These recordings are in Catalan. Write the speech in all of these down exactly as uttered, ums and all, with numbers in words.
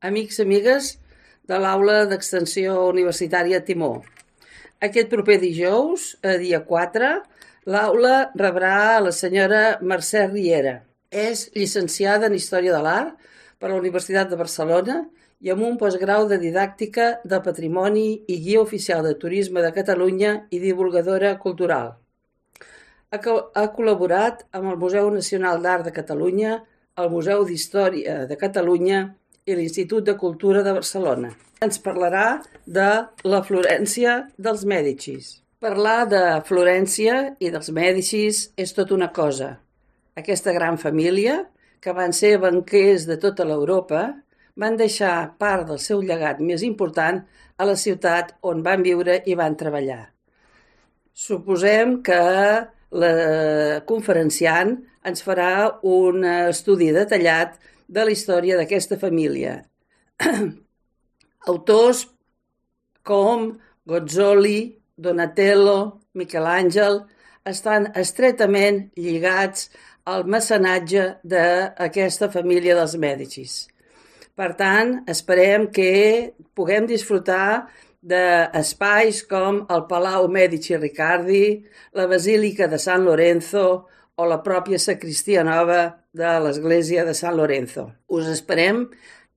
amics i amigues de l'Aula d'Extensió Universitària Timó. Aquest proper dijous, a dia quatre, l'aula rebrà a la senyora Mercè Riera. És llicenciada en Història de l'Art per la Universitat de Barcelona i amb un postgrau de Didàctica del Patrimoni i Guia Oficial de Turisme de Catalunya i divulgadora cultural. Ha col·laborat amb el Museu Nacional d'Art de Catalunya, el Museu d'Història de Catalunya i l'Institut de Cultura de Barcelona. Ens parlarà de la Florència dels Mèdicis. Parlar de Florència i dels Mèdicis és tot una cosa. Aquesta gran família, que van ser banquers de tota l'Europa, van deixar part del seu llegat més important a la ciutat on van viure i van treballar. Suposem que la conferenciant ens farà un estudi detallat de la història d'aquesta família. Autors com Gozzoli, Donatello, Miquel Àngel estan estretament lligats al mecenatge d'aquesta família dels Mèdicis. Per tant, esperem que puguem disfrutar d'espais com el Palau Medici Riccardi, la Basílica de San Lorenzo o la pròpia sacristia nova de l'església de San Lorenzo. Us esperem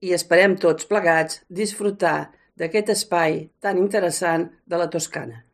i esperem tots plegats disfrutar d'aquest espai tan interessant de la Toscana.